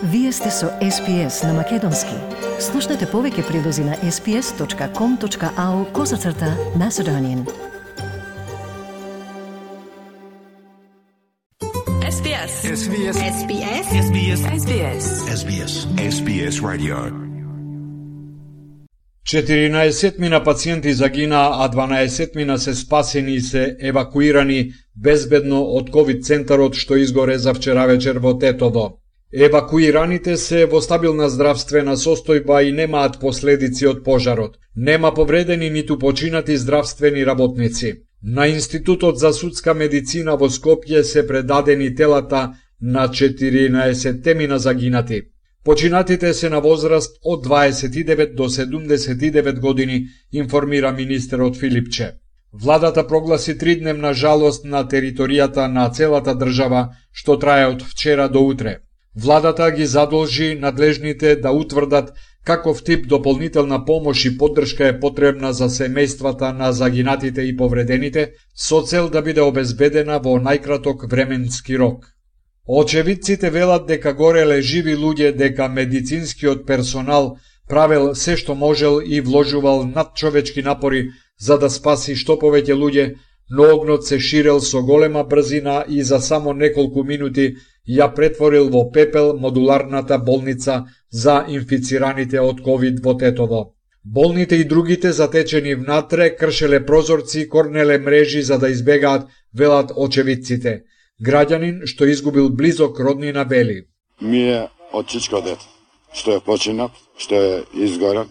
Вие сте со SPS на Македонски. Слушнете повеќе прилози на sps.com.au/Macedonian. SBS. SBS. SBS. SBS. SBS. SBS. SBS Radio. 14 пациенти загина, а 12 се спасени и се евакуирани безбедно од ковид центарот што изгоре за вчера вечер во Тетово. Евакуираните се во стабилна здравствена состојба и немаат последици од пожарот. Нема повредени ниту починати здравствени работници. На Институтот за судска медицина во Скопје се предадени телата на 14 загинати. Починатите се на возраст од 29 до 79 години, информира министерот Филипче. Владата прогласи 3-дневна жалост на територијата на целата држава, што трае од вчера до утре. Владата ги задолжи надлежните да утврдат каков тип дополнителна помош и поддршка е потребна за семејствата на загинатите и повредените, со цел да биде обезбедена во најкраток временски рок. Очевидците велат дека гореле живи луѓе, дека медицинскиот персонал правел се што можел и вложувал надчовечки напори за да спаси што повеќе луѓе, но огнот се ширел со голема брзина и за само неколку минути ја претворил во пепел модуларната болница за инфицираните од ковид во Тетово. Болните и другите затечени внатре кршеле прозорци, корнеле мрежи за да избегаат, велат очевидците. Граѓанин што изгубил близок роднина вели: Ми е од чичко дете, што е починат, што е изгорен,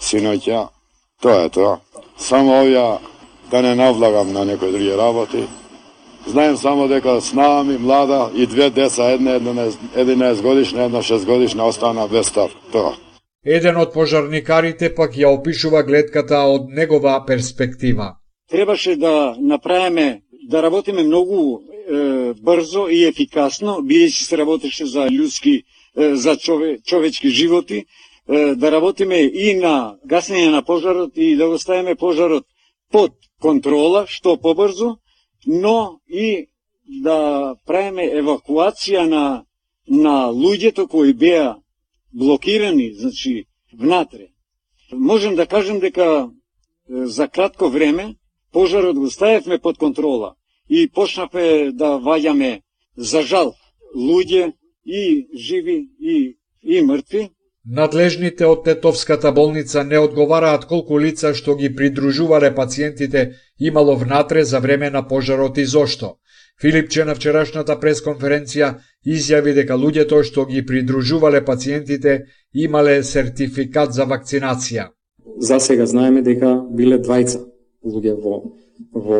синоќа, тоа е тоа. Само овја да не навлагам на некои други работи. Знаем само дека снаа ми млада и 2 деца, една 11 годишна, една 6 годишна, остана без стар. Тоа. Еден од пожарникарите пак ја опишува гледката од негова перспектива. Требаше да направиме, да работиме многу брзо и ефикасно, бидејќи се работеше за људски, за човечки животи, да работиме и на гасење на пожарот и да го ставиме пожарот под контрола, што побрзо, но и да правиме евакуација на луѓето кои беа блокирани, значи, внатре. Можем да кажем дека за кратко време пожарот го ставивме под контрола и почнавме да ваѓаме, за жал, луѓе и живи и мртви. Надлежните од Тетовската болница не одговараат колку лица што ги придружувале пациентите имало внатре за време на пожарот и зошто. Филипче на вчерашната пресконференција изјави дека луѓето што ги придружувале пациентите имале сертификат за вакцинација. За сега знаеме дека биле 2 луѓе во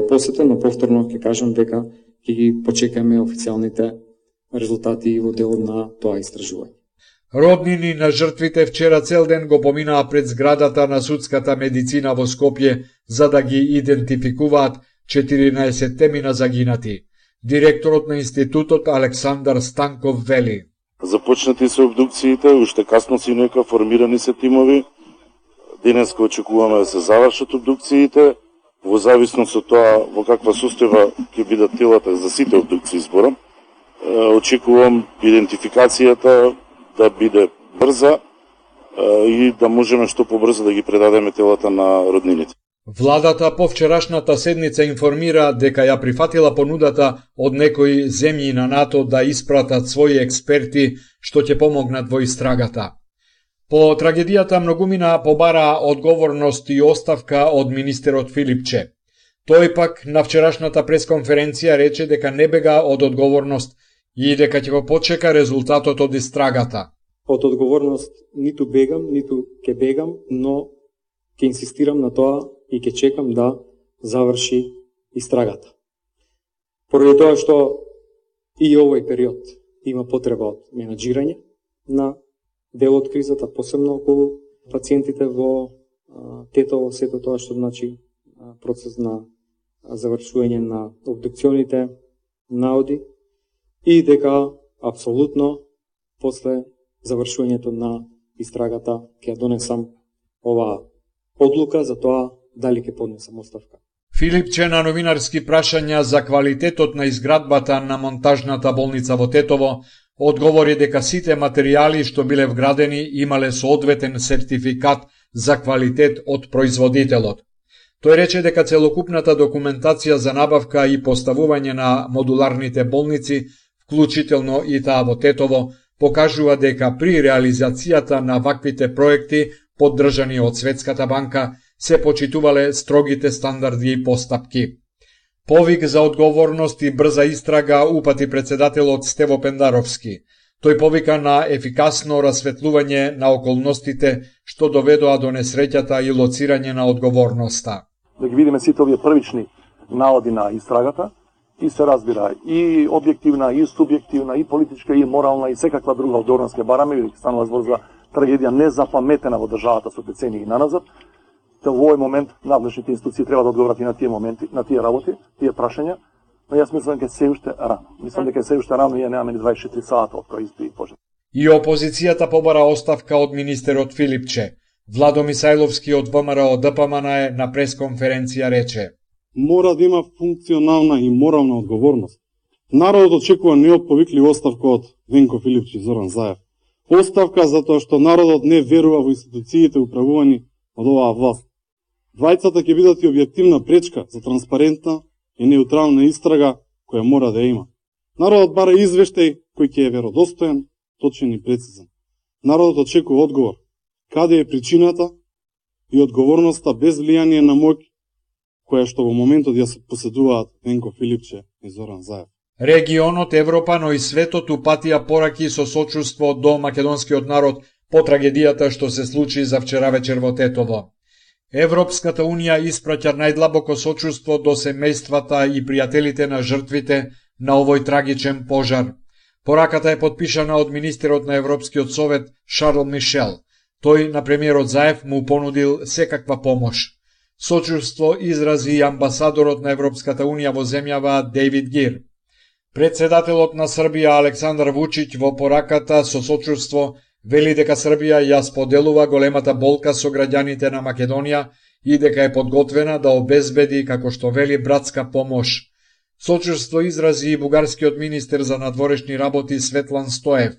посета, но повторно ќе кажам дека ќе ги почекаме официјалните резултати во делот на тоа истражување. Роднини на жртвите вчера цел ден го поминаа пред зградата на судската медицина во Скопје за да ги идентификуваат 14 загинати. Директорот на институтот Александар Станков вели: Започнати се обдукциите, уште касно синојка формирани се тимови. Денеска очекуваме да се завршат обдукциите. Во зависност од тоа во каква состојба ќе бидат телата за сите обдукции зборам, очекувам идентификацијата да биде брза и да можеме што побрзо да ги предадеме телата на роднините. Владата по вчерашната седница информира дека ја прифатила понудата од некои земји на НАТО да испратат своји експерти што ќе помогнат во истрагата. По трагедијата многумина побараа одговорност и оставка од министерот Филипче. Тој пак на вчерашната пресконференција рече дека не бега од одговорност и дека ќе го почека резултатот од истрагата. Од одговорност ниту бегам, ниту ќе бегам, но ќе инсистирам на тоа и ќе чекам да заврши истрагата. Поради тоа што и овој период има потреба од менаџирање на дел од кризата, посебно околу пациентите во Тетово, сето тоа што значи процес на завршување на обдукционите наоди и дека апсолутно после завршувањето на истрагата ќе донесам оваа одлука за тоа дали ќе поднесам оставка. Филипче на новинарски прашања за квалитетот на изградбата на монтажната болница во Тетово Одговори дека сите материјали што биле вградени имале соодветен сертификат за квалитет од производителот. Тој рече дека целокупната документација за набавка и поставување на модуларните болници, вклучително и таа во Тетово, покажува дека при реализацијата на ваквите проекти, поддржани од Светската банка, се почитувале строгите стандарди и постапки. Повик за одговорност и брза истрага упати председателот Стево Пендаровски. Тој повика на ефикасно расветлување на околностите што доведоа до несреќата и лоцирање на одговорноста. Да ги видиме сите овие првични наводи на истрагата и се разбира и објективна, и субјективна, и политичка, и морална, и секаква друга одговорност ке бараме, бидејќи станува збор за трагедија незапаметена во државата со децении наназад. Во овој момент надлежните институции треба да одговорат и на тие моменти, на тие работи, тие прашања, но јас мислам дека се уште рано. Мислам дека се уште рано и немаме ни 24 сата од кои избри пожар. И опозицијата побара оставка од министерот Филипче. Владо Мисајловски од ВМРО ДПМН на пресконференција рече: мора да има функционална и морална одговорност. Народот очекува неотповиклива оставка од Венко Филипче и Зоран Заев. Оставка затоа што народот не верува во институциите управувани од оваа власт. Двајцата ќе бидат и објективна пречка за транспарентна и неутрална истрага која мора да има. Народот бара извештај кој ќе е веродостоен, точен и прецизен. Народот очекува одговор. Каде е причината и одговорноста без влијание на моќ која што во моментот ја се поседуваат Венко Филипче и Зоран Заев. Регионот, Европа, но и светот упатија пораки со сочувство до македонскиот народ по трагедијата што се случи за вчера вечер во Тетово. Европската унија испраќа најдлабоко сочувство до семејствата и пријателите на жртвите на овој трагичен пожар. Пораката е подпишана од министерот на Европскиот совет Шарл Мишел. Тој на премиерот Заев му понудил секаква помош. Сочувство изрази и амбасадорот на Европската унија во земјава Дејвид Гир. Председателот на Србија Александар Вучиќ во пораката со сочувство вели дека Србија ја споделува големата болка со граѓаните на Македонија и дека е подготвена да обезбеди, како што вели, братска помош. Сочувство изрази и бугарскиот министер за надворешни работи Светлан Стоев.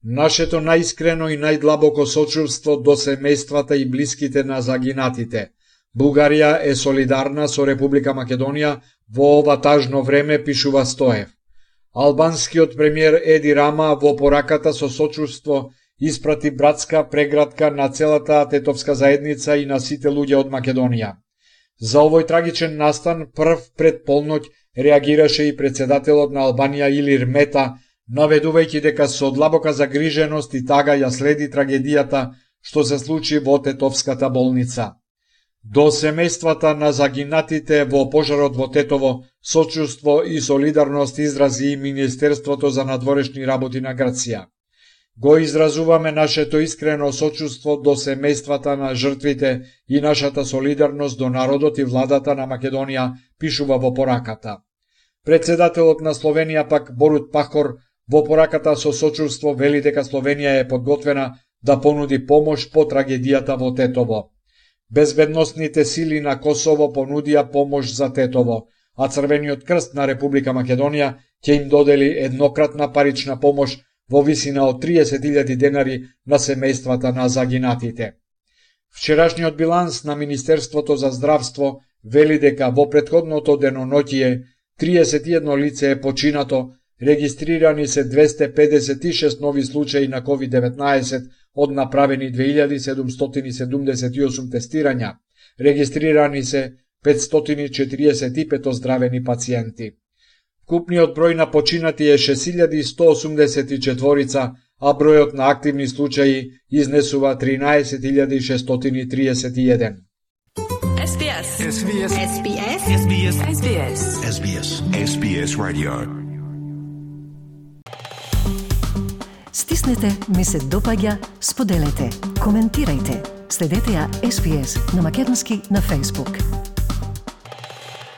Нашето најискрено и најдлабоко сочувство до семејствата и блиските на загинатите. Бугарија е солидарна со Република Македонија во ова тажно време, пишува Стоев. Албанскиот премиер Еди Рама во пораката со сочувство испрати братска прегратка на целата тетовска заедница и на сите луѓе од Македонија. За овој трагичен настан прв пред полноќ реагираше и председателот на Албанија Илир Мета, наведувајќи дека со длабока загриженост и тага ја следи трагедијата што се случи во тетовската болница. До семејствата на загинатите во пожарот во Тетово сочувство и солидарност изрази и Министерството за надворешни работи на Грција. Го изразуваме нашето искрено сочувство до семејствата на жртвите и нашата солидарност до народот и владата на Македонија, пишува во пораката. Председателот на Словенија пак Борут Пахор во пораката со сочувство вели дека Словенија е подготвена да понуди помош по трагедијата во Тетово. Безбедносните сили на Косово понудија помош за Тетово, а Црвениот крст на Република Македонија ќе им додели еднократна парична помош во висина од 30.000 денари на семејствата на загинатите. Вчерашниот биланс на Министерството за здравство вели дека во претходното деноноќие 31 лице е починато, регистрирани се 256 нови случаи на COVID-19 од направени 2778 тестирања, регистрирани се 545 оздравени пациенти. Вкупниот број на починати е 6184, а бројот на активни случаи изнесува 13631. SBS SBS SBS SBS SBS SBS SBS Radio. Стиснете, ми се допаѓа, споделете, коментирајте. Следете ја SBS на Македонски на Facebook.